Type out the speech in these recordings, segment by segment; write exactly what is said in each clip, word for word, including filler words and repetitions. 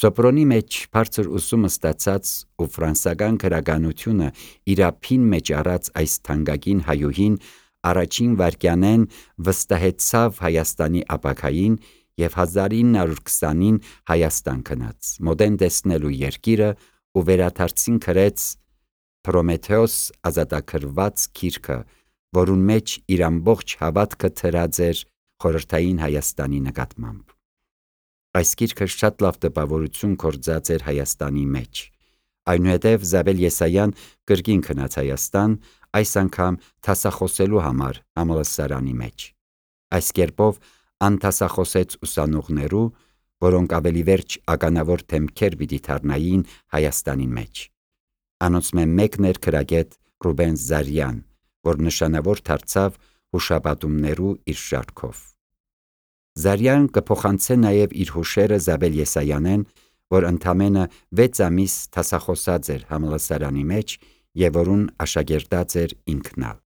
Սոպրոնի մեջ բարձր ուսումը ստացած ու ֆրանսական գրականությունը իր ափին մեջ առած այս թանկագին հայուհին առաջին վայրկյանեն վստահեցավ Հայաստանի ապագային և հազար ինը հարյուր քսանին Հայաստան գնաց, մոդեն տեսնելու երկիրը ու վերադարձին գրեց Պրոմեթեոս ազատագրված գիրքը, որուն մեջ իր ամբողջ հավատքը դրած էր խորհրդային Հայաստանի նկատմամբ։ Այս գիրքը շատ լավ տպավորություն գործած էր Հայաստանի մեջ, այնուհետև Զաբել Եսայան կրկին գնաց Հայաստան, այս անգամ դասախոսելու համար համալսարանի մեջ։ Այս կերպով անդասախոսեց ուսանողներու, որոնք ավելի վերջ ականավոր դեմքեր պիտի դառնային Հայաստանի մեջ։ Անոնցմէ մեկն էր գրագետ Ռուբեն Զարյան, որ նշանավոր դարձավ հուշապատումներու իր շարքով։ Զարյան կփոխանցե նաև իր հուշերը Զաբել Եսայանեն, որ ընդամենը վեց ամիս դասախոսած էր համալսարանի մեջ և որուն աշակերտած էր ինքն ալ։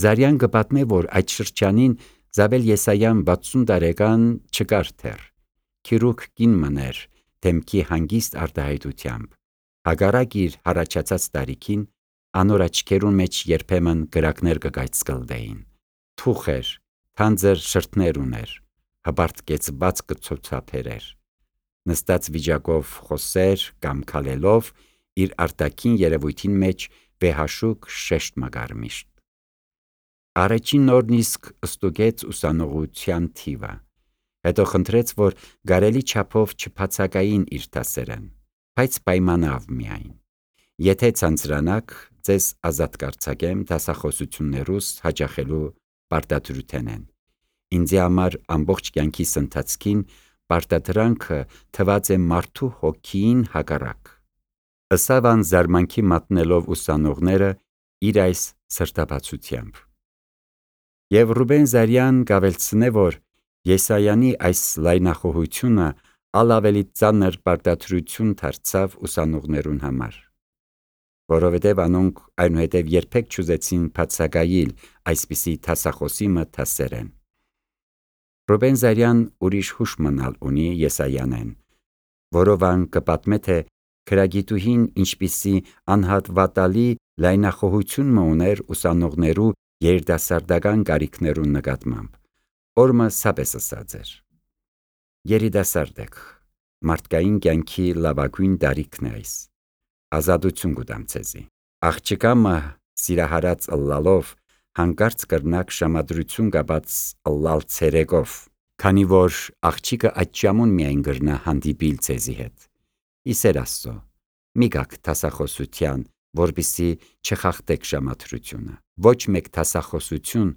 Զարյան կպատմե, որ այդ շրջանին Զաբել Եսայան վաթսուն տարեկան չկար դեռ, քիրուրգ կին մըներ, դեմքի հանգիստ արտահայտությամբ։ Հակառակ իր հառաջացած տարիքին, անոր աչքերուն մեջ երբեմն կրակներ կգայծկլդեին, թուխ էր, թանձր շրթներ ուներ, հպարտ կեցված կցոցափեր էր, նստած վիճակով խոսեր կամ քալելով իր արտաքին երևույթին մեջ վեհաշուկ շեշտ մը միշտ։ Առաջին նորն իսկ ստուգեց ուսանողության թիվը, հետո խնդրեց, որ գարելի չափով չբացակային իր դասերեն, բայց պայմանավ միայն. եթե ցանցրանաք, ձեզ ազատ կարձակեմ դասախոսություններուս հաճախելու պարտադրութենեն։ Ինձի համար ամբողջ կյանքիս ընթացքին պարտադրանքը թված է մարդու հոգին հակառակ։ Ըսավ ան զարմանքի մատնելով ուսանողները իր այս սրտաբացությամբ։ Եվ Ռուբեն Զարյան կավելցնե, որ Եսայանի այս լայնախոհությունը ալ ավելի ծանր պարտադրություն դարձավ ուսանողներուն համար, որովհետև անոնք այնուհետև երբեք չուզեցին բացակայիլ այսպիսի դասախոսի մը դասերեն։ Ռուբեն Զարյան ուրիշ հուշ մնալ ունի Եսայանեն, որով ան կպատմե, թե գրագիտուհին ինչպիսի անհատվատալի լայնախոհություն մը ուներ ուսանողներու երիտասարդական կարիքներուն նկատմամբ, որ մը սապես ըսած էր. երիտասարդ եք, մարդկային կյանքի լավագույն տարիքն է այս, ազատություն կուտամ ձեզի, աղջկա մը սիրահարած ըլլալով հանկարծ կրնակ ժամադրություն կապած ըլլալ ցերեկով, քանի որ աղջիկը այդ ժամուն միայն կրնա հանդիպիլ ձեզի հետ։ Իսեր Աստծո, մի գաք դասախոսության, որպեսզի չխախտեք ժամադրությունը, ոչ մեկ դասախոսություն,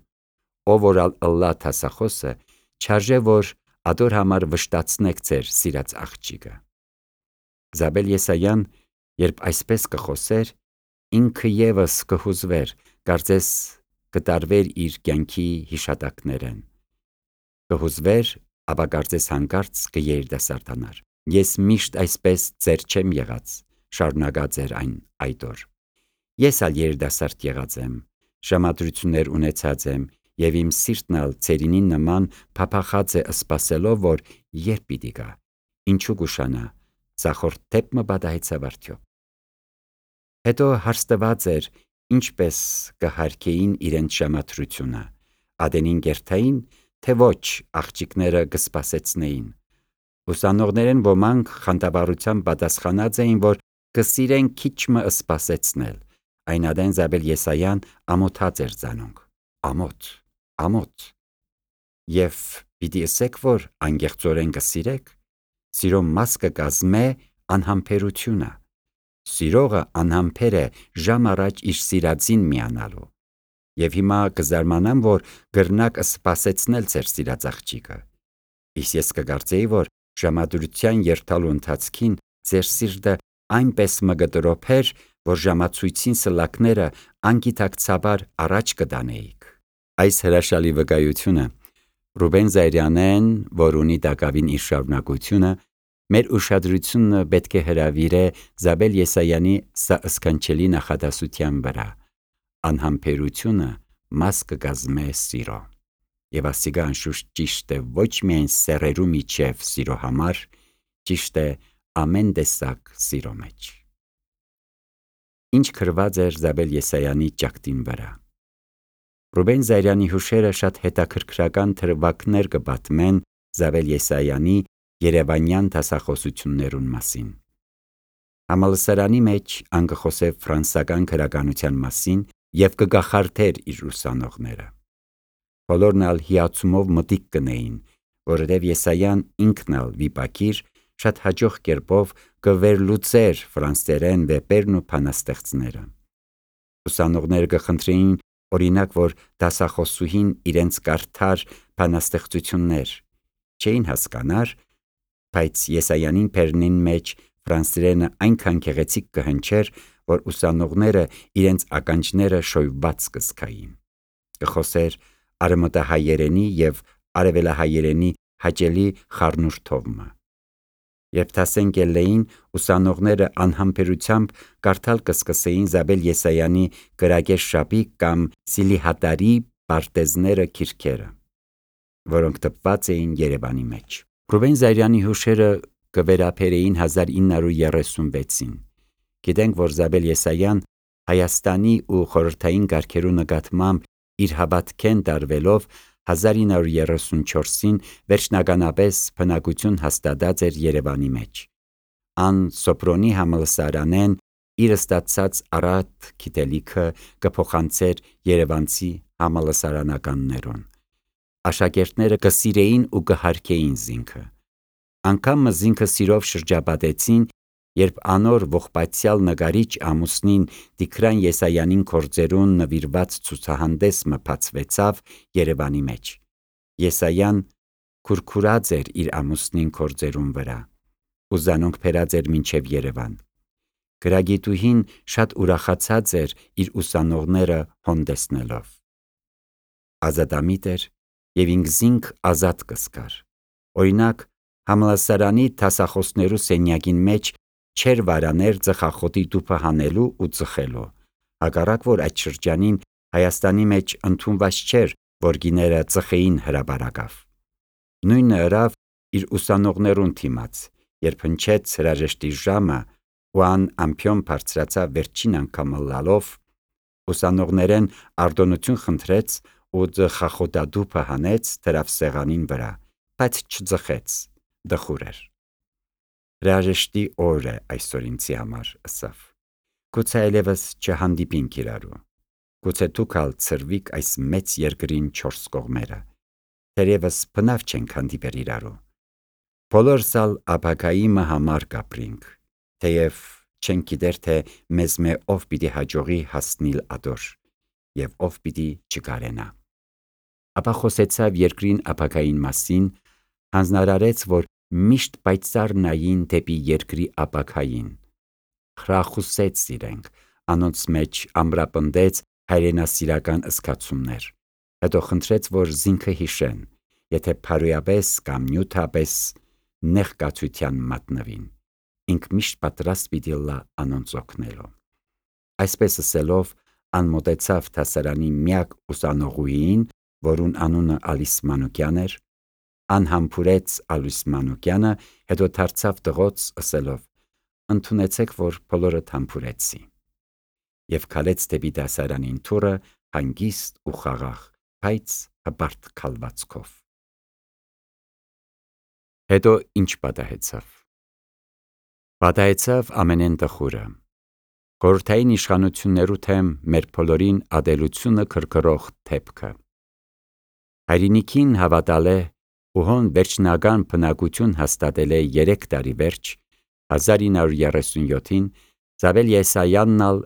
ով որ ըլլա դասախոսը, չարժե որ ադոր համար վշտացնեք ձեր սիրած աղջիկը։ Զաբել Եսայան, երբ այսպես կխոսեր, ինքը ևս կհուզվեր, կարծես կտարվեր իր կյանքի հիշատակներեն, կհուզվեր, ապա կարծես հանկարծ կերիտասարդանար։ Ես միշտ այսպես ծեր չեմ եղած, շարունակած էր այն այդ օր։ Ես ալ երիտասարդ եղած եմ, ժամադրություններ ունեցած եմ, և իմ սիրտն ալ ծերինին նման փափախած է սպասելով, որ երբ պիտի գա, ինչու կուշանա, ցախորդ դեպ մը պատահեցավ արդյոք։ Հետո հարցված էր, ինչպես կհարկեին իրենց ժամադրությունը, ադենին կերթային, թե ոչ աղջիկները կսպասեցնեին։ Ուսանողներեն ոմանք խանդավառությամբ պատասխանած էին, որ կսիրեն քիչ մը սպասեցնել, այն ադեն Զաբել Եսայան ամոթած էր զանոնք, ամոթ, ամոթ։ Եվ պիտի ըսեք, որ անգեղծորեն կսիրեք, սիրո մաս կկազմե անհամբերությունը, սիրողը անհամբեր է ժամ առաջ իր սիրածին միանալու, և հիմա կզարմանամ, որ կրնակ սպասեցնել ձեր սիրած աղջիկը, իսկ ես կկարծեի, որ ժամադրության երթալու ընթացքին ձեր սիրտը այնպես մը կտրոփեր, որ ժամացույցին սլակները անգիտակցաբար առաջ կտանեիք։ Այս հրաշալի վկայությունը Ռուբեն Զարյանեն, որ ունի տակավին իր շարունակությունը, մեր ուշադրությունը պետք է հրավիրե Զաբել Եսայանի սա սքանչելի նախադասության վրա. անհամբերությունը մաս կկազմե սիրո։ Եվ ասիկա անշուշտ ճիշտ է ոչ միայն սեռերու միջև սիրո համար, ճիշտ է ամեն տեսակ սիրո մեջ։ Ինչ գրված էր Զաբել Եսայանի ճակտին վրա։ Ռուբեն Զայրյանի հուշերը շատ հետաքրքրական թրվակներ կպատմեն Զաբել Եսայանի երևանյան դասախոսություններուն մասին։ Համալսարանի մեջ ան կխոսե ֆրանսական գրականության մասին եւ կգախարդեր իր ուսանողները։ Բոլորն ալ հիացումով մտիկ կնեին, որովհետև Եսայան ինքն ալ վիպակիր շատ հաջող կերպով կվերլուծեր ֆրանսերեն վեպերն ու բանաստեղծները։ Ուսանողները կխնդրեին օրինակ, որ դասախոսուհին իրենց կարդար բանաստեղծություններ, չէին հասկանար, բայց Եսայանին բերնին մեջ ֆրանսերենը այնքան գեղեցիկ կհնչեր, որ ուսանողները իրենց ականջները շոյված կզգային։ Կխոսեր արևմտահայերենի եւ արևելահայերենի հաճելի խառնուրդովը։ Երբ դասեն գելեին, ուսանողները անհամբերությամբ կարդալ կսկսեին Զաբել Եսայանի կրագեր շապիկ կամ Սիլիհատարի պարտեզները քիրքերը, որոնք տպված էին Երևանի մեջ։ Ռուբեն Զայրյանի հուշերը կվերապերեին հազար ինը հարյուր երեսունվեցին։ Գիտենք, որ Զաբել Եսայան Հայաստանի ու խորհրդային կարգերու նկատմամբ իր հավատքեն տարվելով հազար ինը հարյուր երեսունչորսին վերջնականապես բնակություն հաստատած էր Երևանի մեջ։ Ան Սոպրոնի համալսարանեն իր ստացած առատ գիտելիքը կփոխանցեր երևանցի համալսարանականներուն։ Աշակերտները կսիրեին ու կհարգեին զինքը։ Անգամ զինքը սիրով շրջապատեցին, երբ անոր ողբացյալ նկարիչ ամուսնին Տիգրան Եսայանին գործերուն նվիրված ցուցահանդես մփացվեցավ Երևանի մեջ։ Եսայան քուրքուրած էր իր ամուսնին գործերուն վրա, ու զանոնք բերած էր մինչև Երևան։ Գրագիտուհին շատ ուրախացած էր իր ուսանողները հոնդեսնելով։ Ազատամիտ էր եւ ինքզինք ազատ կսկար։ Օրինակ, համալսարանի դասախոսներու սենյակին մեջ չեր վարաներ ծխախոտի տուփը հանելու ու ծխելու, հակառակ որ այդ շրջանին Հայաստանի մեջ ընդունված չէր, որ գիները ծխեին հրաբարակավ։ Նույնը ըրավ իր ուսանողներուն թիմաց, երբ հնչեց հրաժեշտի ժամը ու ան ամփյոն բարձրացավ վերջին անգամ լալով, ուսանողներեն արտոնություն խնդրեց ու ծխախոտատուփը հանեց դրավ սեղանին վրա, բայց չծխեց, դխուր էր։ Հրաժեշտի օր է այսօր ինձի համար, ըսավ։ Գուցե այլևս չհանդիպինք իրարու։ Գուցե դուք ալ ծրվիկ այս մեծ երկրին չորս կողմերը։ Թերևս բնավ չենք հանդիպեր իրարու։ Բոլորս ալ ապագայի մը համար կապրինք, թեև չենք գիտեր, թե մեզ մե ով պիտի հաջողի հասնիլ ադոր, եւ ով պիտի չկարենա։ Ապա խոսեցավ երկրին ապագային մասին, հանձնարարեց, որ միշտ պայծառ նային դեպի երկրի ապագային։ Խրախուսեց իրենք, անոնց մեջ ամրապնդեց հայրենասիրական զգացումներ։ Հետո խնդրեց, որ զինքը հիշեն, եթե փարոյապես կամ նյութապես նեղկացության մատնվին, ինք միշտ պատրաստ պիտի լա անոնց օգնելու։ Այսպես ասելով, անմոտեցավ դասարանի միակ ուսանողուհին, որուն անունը Ալիս Մանուկյան էր, անհամբուրեց Ալիս Մանուկյանը, հետո դարձավ տղոց ասելով. ընդունեցեք, որ բոլորը համբուրեցի, եւ քալեց դեպի դասարանին թուրը հանգիստ ու խաղաղ, բայց հպարտ քալվածքով։ Հետո ինչ պատահեցավ։ Պատահեցավ ամենեն տխուրը։ Խորհրդային իշխանություններու թեմ մեր բոլորին ադելությունը քրքրող թեփքը։ Հայրենիքին հավատալ է ու հոն վերջնական բնակություն հաստատել է երեք տարի վերջ, հազար ինը հարյուր երեսունյոթին, Զաբել Եսայանն ալ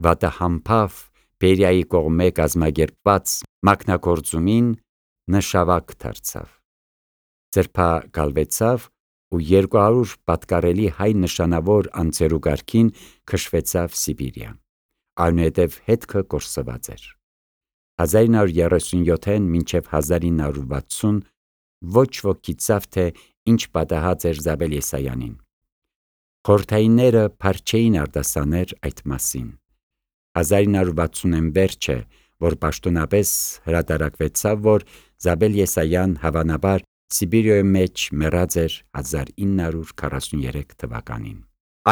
վատահամբավ Բերիայի կողմէ կազմակերպված մակնագործումին նշավակ դարձավ։ Ձերբակալվեցավ ու երկու հարյուր պատկառելի հայ նշանավոր անձերու կարգին քշվեցավ Սիբիրիա, այնուհետև հետքը կորսված էր։ հազար ինը հարյուր երեսունյոթին մինչև հազար ինը հարյուր վաթսուն ոչ ոք գիտավ, թե ինչ պատահած էր Զաբել Եսայանին։ Խորհրդայինները փառչեին արտասաներ այդ մասին։ հազար ինը հարյուր վաթսունին վերջը, որ պաշտոնապես հրատարակվեցավ, որ Զաբել Եսայան հավանաբար Սիբիրիոյի մեջ մեռած էր հազար ինը հարյուր քառասուներեք թվականին։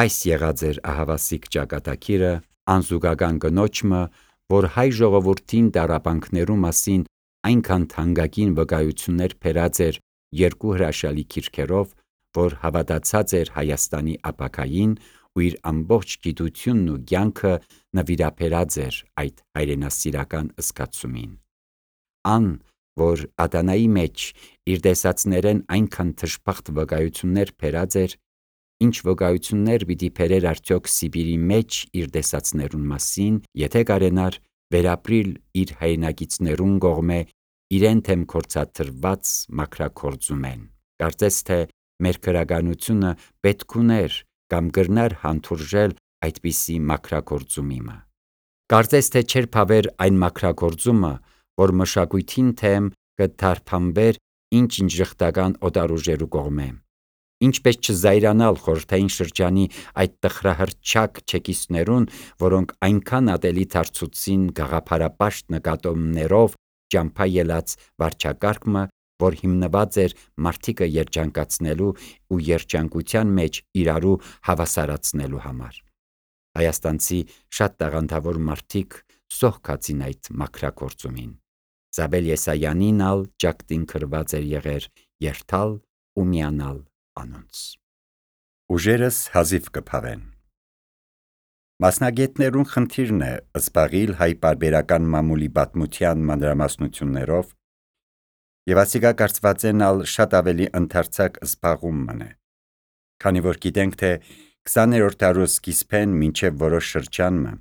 Այս եղած էր ահավասիկ ճակատագիրը անզուգական կնոջը, որ հայ ժողովրդին տառապանքներու մասին այնքան թանկագին վկայություններ բերած էր երկու հրաշալի գիրքերով, որ հավատացած էր Հայաստանի ապագային ու իր ամբողջ գիտությունն ու կյանքը նվիրաբերած էր այդ հայրենասիրական զգացումին։ Ան, որ Ադանայի մեջ իր տեսածներեն այնքան թշփախտ վկայություններ բերած էր, ինչ վկայություններ պիտի բերեր արդյոք Սիբիրի մեջ իր տեսածներուն մասին, եթե կարենար վերապրիլ իր հայրենակիցներուն կողմէ իրեն թեմ գործադրված մաքրագործումեն։ Կարծես թե մեր գրականությունը պետք ուներ կամ կրնար հանդուրժել այդպիսի մաքրագործումիմը։ Կարծես թե չէր փավեր այն մաքրագործումը, որ մշակույթին թեմ կթարբանվեր ինչ-ինչ ժխտական օտարուժերու կողմէ։ Ինչպես չզայրանալ խորհրդային շրջանի այդ տխրահռչակ չեկիստներուն, որոնք այնքան ատելի դարձուցին գաղափարապաշտ նկատողներով ճամփա ելած վարչակարգը, որ հիմնված էր մարդիկը երջանկացնելու ու երջանկության մեջ իրարու հավասարացնելու համար։ Հայաստանցի շատ տաղանդավոր մարդիկ սողքացին այդ մաքրագործումին։ Զաբել Եսայանին ալ ճակտին գրված էր եղեր երթալ ու միանալ անոնց։ Ուժերս հազիվ կփավեն։ Մասնագետներուն խնդիրն է զբաղիլ հայ պարբերական մամուլի պատմության մանրամասնություններով, եւ ասիկա կարծվածեն ալ շատ ավելի ընդարձակ զբաղում մնե, քանի որ գիտենք, թե քսաներորդ դարու սկիզբեն մինչև որոշ շրջանը,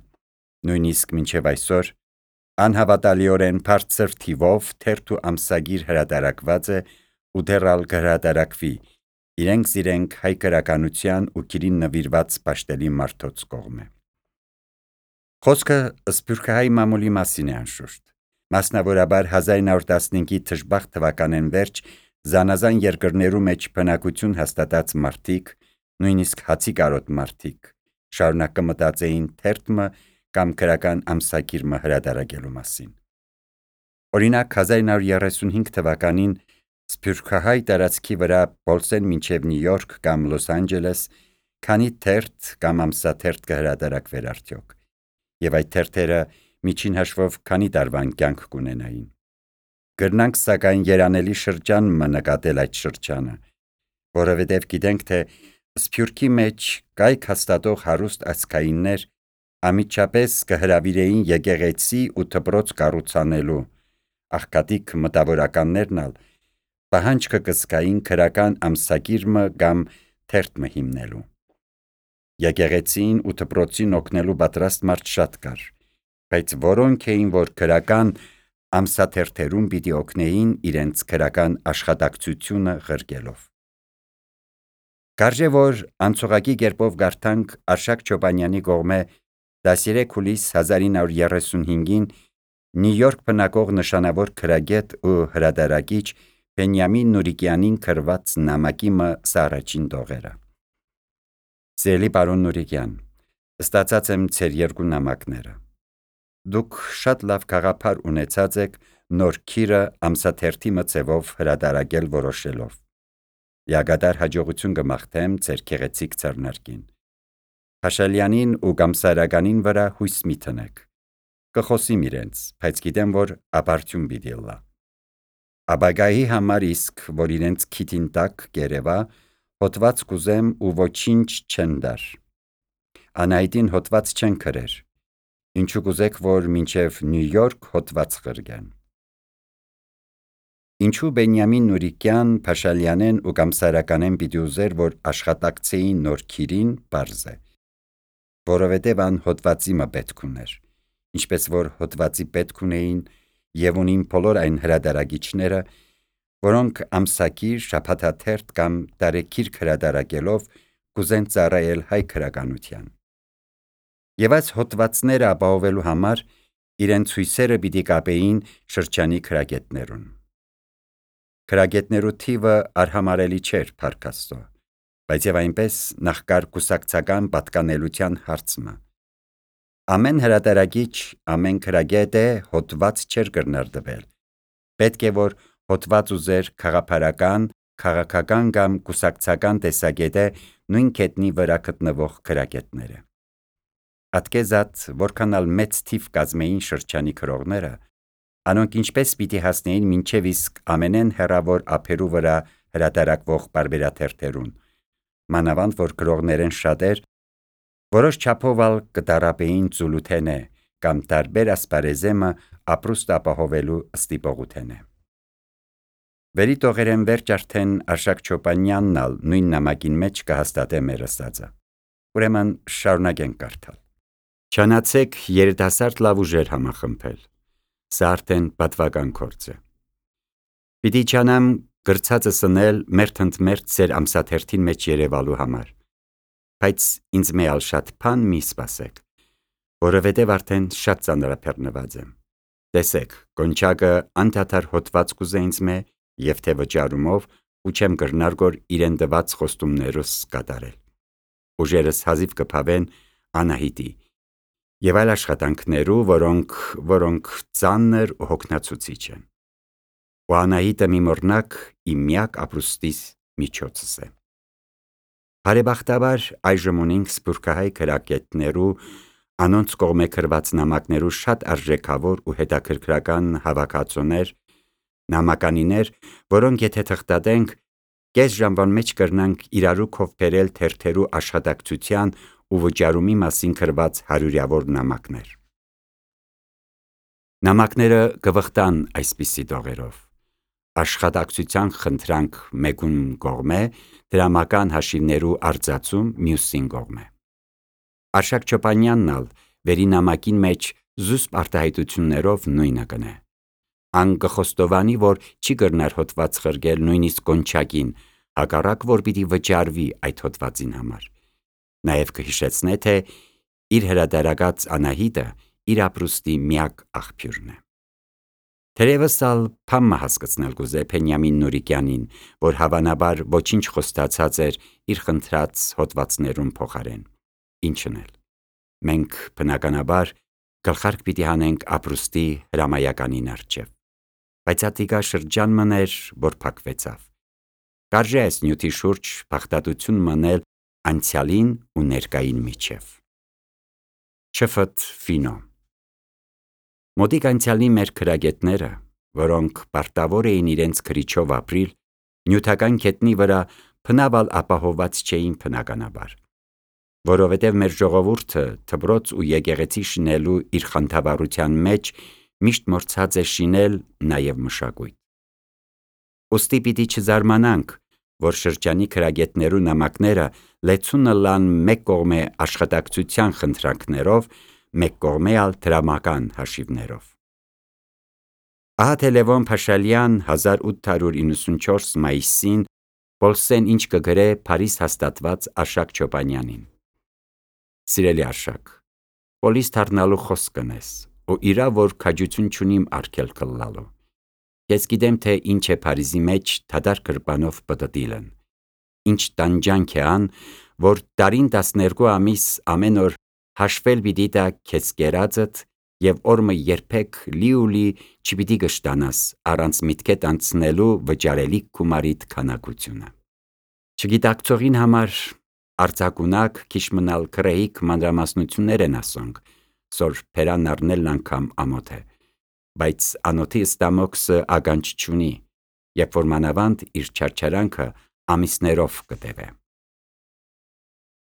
նույնիսկ մինչև այսօր, անհավատալիորեն բարձր թիվով թերթ ու ամսագիր հրատարակված է ու դեռ ալ կհրատարակվի իրենք զիրենք հայ գրականության ու գիրին նվիրված պաշտելի մարդոց կողմէ։ Խոսքը սփյուռքահայ մամուլի մասին է անշուշտ, մասնավորաբար հազար ինը հարյուր տասնհինգի թշբախտ թվականեն վերջ զանազան երկրներու մեջ բնակություն հաստատած մարդիկ, նույնիսկ հացի կարոտ մարդիկ, շարունակ կմտածեին թերթը կամ գրական ամսագիրը հրատարակելու մասին։ Օրինակ հազար ինը հարյուր երեսունհինգ թվականին սփյուռքահայ տարածքի վրա Պոլսեն մինչև Նյու Յորք կամ Լոս Անջելես քանի թերթ կամ ամսաթերթ կհրատարակվեր արդյոք, եւ այդ թերթերը միջին հաշվով քանի տարվան կյանք կունենային։ Գրնանք սակայն երանելի շրջան մը նկատել այդ շրջանը, որովհետև գիտենք, թե Սփյուռքի մեջ կայք հաստատող հարուստ ազգայիններ ամիջապես կհրավիրեին եկեղեցի ու դպրոց կառուցանելու, աղքատիկ մտավորականներն ալ պահանջքը կզգային գրական ամսագիրը կամ թերթը հիմնելու։ Եկեղեցին ու դպրոցին օգնելու պատրաստ մարդ շատ կար, բայց որոնք էին, որ գրական ամսաթերթերուն պիտի օգնեին իրենց գրական աշխատակցությունը ղրկելով։ Կարժե որ անցողակի կերպով գարթանք Արշակ Չոբանյանի կողմէ տասներեք հուլիս հազար ինը հարյուր երեսունհինգին Նյու Յորք բնակող նշանավոր գրագետ ու հրատարակիչ Բենյամին Նուրիկյանին գրված նամակիմը սա առաջին տողերը։ Սիրելի պարոն Նուրիկյան, ստացած եմ ձեր երկու նամակները։ Դուք շատ լավ գաղափար ունեցած եք նոր քիրը ամսաթերթի մցևով հրատարակել որոշելով։ Յագադար հաջողություն կմաղթեմ ձեր գեղեցիկ ձեռնարկին։ Փաշալյանին ու Գամսարականին վրա հույս մի տնեք։ Կխոսիմ իրենց, բայց գիտեմ, որ ապարդյուն պիտի լա։ Աբագայի համար իսկ, որ իրենց քիթին տակ կերևա, հոտված կուզեմ ու ոչինչ չեն դար։ Անայտին հոտված չեն գրեր, ինչու կուզեք, որ մինչև Նյու Յորք հոտված ղրգեն։ Ինչու Բենյամին Նուրիկյան, Փաշալյանեն ու Գամսարականեն պիտի ուզեր, որ աշխատակցեին նոր քիրին, պարզ է, որովհետև ան հոտվածի մը պետք ուներ, ինչպես որ հոտվածի պետք ունեին եւ ունին բոլոր այն հրատարակիչները, որոնք ամսագիր, շաբաթաթերթ կամ տարեգիրք հրատարակելով կուզեն ծառայել հայ գրականության։ Եվ այս հոտվածները ապահովելու համար իրենց հույսերը պիտի կապեին շրջանի գրագետներուն։ Գրագետներու թիվը արհամարելի չէր, փառք Աստծո, բայց եւ այնպես նախկար կուսակցական պատկանելության հարցը։ Ամեն հրատարակիչ, ամեն գրագետ է հոտված չէր կրնար տվել։ Պետք է որ հոտված ուզեր քաղաքական, քաղաքական կամ կուսակցական տեսակետը նույն գետնի վրա գտնվող գրագետները։ Ատկեզատ որքանալ մեծ թիվ կազմեին շրջանի քրողները, անոնք ինչպես պիտի հասնեին մինչև իսկ ամենեն հեռավոր ափերու վրա հրատարակվող բարբերաթերթերուն, մանավանդ որ գրողներեն շատեր որոշ չափով ալ կդարապեին ծուլութենե կամ տարբեր ասպարեզեմը ապրուստ ապահովելու ստիպողութենե։ Վերի տողերեն վերջ արդեն Արշակ Չոպանյանն ալ նույն նամակին մեջ կհաստատե մեր ասածը։ Ուրեմն շարունակենք կարդալ։ Չանացեք երիտասարդ լավ ուժեր համախմբել։ Սա արդեն պատվական գործ է։ Պիտի չանամ գրցածը սնել մերթ ընդ մերթ ծեր ամսաթերթին մեջ երևալու համար, բայց ինձ մեալ շատ փան մի սպասեք, որովհետև արդեն շատ ծանրափեռնված եմ։ Տեսեք, կոնչակը անդադար հոտված կուզե ինձ մե և թե վճարումով ու չեմ կրնար գոր իրեն դված խոստումներս կատարել։ Ուժերս հազիվ կփավեն Անահիտի և այլ աշխատանքներու, որոնք, որոնք ծանր ու հոգնացուցիչ են։ Ու Անահիտը մի մորնակ իմ միակ ապրուստիս միջոցս է։ Բարեբախտաբար այժմ ունենք սփյուռքահայ գրագետներու անոնց կողմէ գրված նամակներու շատ արժեքավոր ու հետաքրքրական հավաքածուներ, նամականիներ, որոնք եթե թղթատենք, կես ժամվան մեջ կրնանք իրարու քով բերել թերթերու աշխատակցության ու վճարումի մասին գրված հարյուրավոր նամակներ։ Նամակները կվխտան այսպիսի տողերով. աշխատակցության խնդրանք մեկուն կողմէ, դրամական հաշիվներու արձածում մյուսին կողմէ։ Արշակ Չոպանյանն ալ վերի նամակին մեջ զուսպ արտահայտություններով նույնը կնե։ Ան կխոստովանի, որ չի կրնար հոտված խրգել նույնիսկ կոնչակին, հակառակ որ պիտի վճարվի այդ հոտվածին համար։ Նաև կհիշեցնե, թե իր հրատարակած Անահիտը իր ապրուստի միակ աղբյուրն է։ Թերևս ալ փամը հասկացնել կուզե Փենյամին Նուրիկյանին, որ հավանաբար ոչինչ խոստացած էր իր խնդրած հոտվածներուն փոխարեն։ Ինչն էլ։ Մենք բնականաբար գլխարկ պիտի հանենք ապրուստի հրամայականին առջև, բայց ատիկա շրջան մներ, որ փակվեցավ։ Կարժե այս նյութի շուրջ բախտատություն մնել անցյալին ու ներկային միջև։ Չֆտ Ֆինո Մոտիկ անցյալի մեր գրագետները, որոնք պարտավոր էին իրենց գրիչով ապրիլ, նյութական գետնի վրա փնավալ ապահոված չէին բնականաբար, որովհետև մեր ժողովուրդը դպրոց ու եկեղեցի շինելու իր խանդավառության մեջ միշտ մոռցած է շինել նաև մշակույթ։ Ուստի պիտի չզարմանանք, որ շրջանի գրագետներու նամակները լեցունը լան մեկ կողմե աշխատակցության խնդրանքներով, մեկ կողմե ալ դրամական հաշիվներով։ Ահա թե Լևոն Փաշալյան հազար ութ հարյուր իննսունչորս մայիսին Պոլսեն ինչ կգրե Փարիզ հաստատված Արշակ Չոպանյանին։ Սիրելի Արշակ, Պոլիս դառնալու խոսք կնես, ու իրա որ քաջություն չունիմ արգելք ըլլալու։ Ես գիտեմ, թե ինչ է Փարիզի մեջ դադար գրպանով պտտիլն։ Ինչ տանջանք է ան, որ տարին տասներկու ամիս ամեն օր հաշվել պիտի տա քեզ կերածդ և օրմը երբեք լի ու լի չպիտի կշտանաս առանց միտքետ անցնելու վճարելիք գումարիդ քանակությունը։ Չգիտակցողին համար արձակունակ քիչ մնալ քրեհիկ մանրամասնություններ են ասոնք, սոր փերան առնելն անգամ ամոթ է, բայց անոթի ստամոքսը ականջ չունի, երբ որ մանավանդ իր չարչարանքը ամիսներով կտևե։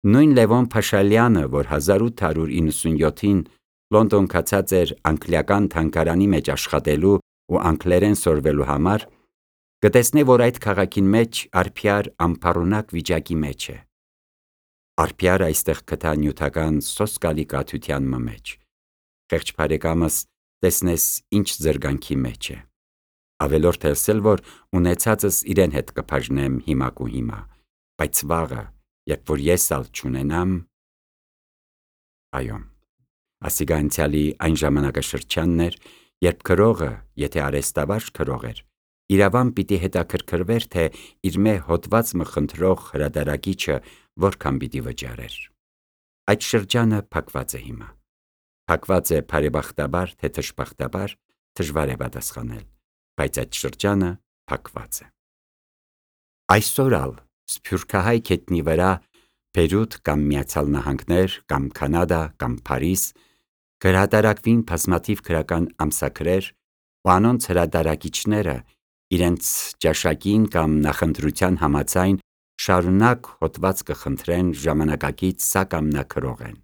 Նույն Լևոն Փաշալյանը, որ հազար ութ հարյուր իննսունյոթին Լոնդոն կացած էր անգլիական թանգարանի մեջ աշխատելու ու անգլերեն սորվելու համար, կտեսնե, որ այդ քաղաքին մեջ Արփյար անփառունակ վիճակի մեջ է։ Արփյարը այստեղ գտա նյութական սոսկալի կաթության մեջ։ Խեղճ բարեկամս, տեսնես ինչ զրգանքի մեջ է։ Ավելորդ ասել, որ ունեցածս իրեն հետ կբաժնեմ հիմակ ու հիմա, բայց վաղը, երբ որ ես ալ չունենամ… Այո, ասիկա անցյալի այն ժամանակաշրջանն էր, երբ գրողը, եթե արհեստավարժ գրող էր, իրավամբ պիտի հետաքրքրվեր, թե իր մե հոտված մը խնդրող հրատարակիչը որքան պիտի վճարեր։ Այդ շրջանը փակված է հիմա։ Փակված է բարեբախտաբար, թե թշբախտաբար, դժվար է պատասխանել, բայց այդ շրջանը փակված է։ Այսօր ալ սփյուռքահայ գետնի վրա Բեյրութ կամ Միացյալ Նահանգներ կամ Կանադա կամ Փարիզ կհրատարակվին բազմաթիվ գրական ամսագրեր, ու անոնց հրատարակիչները իրենց ճաշակին կամ նախընտրության համաձայն շարունակ հոդված կխնդրեն ժամանակակից սա կամ նա գրողեն։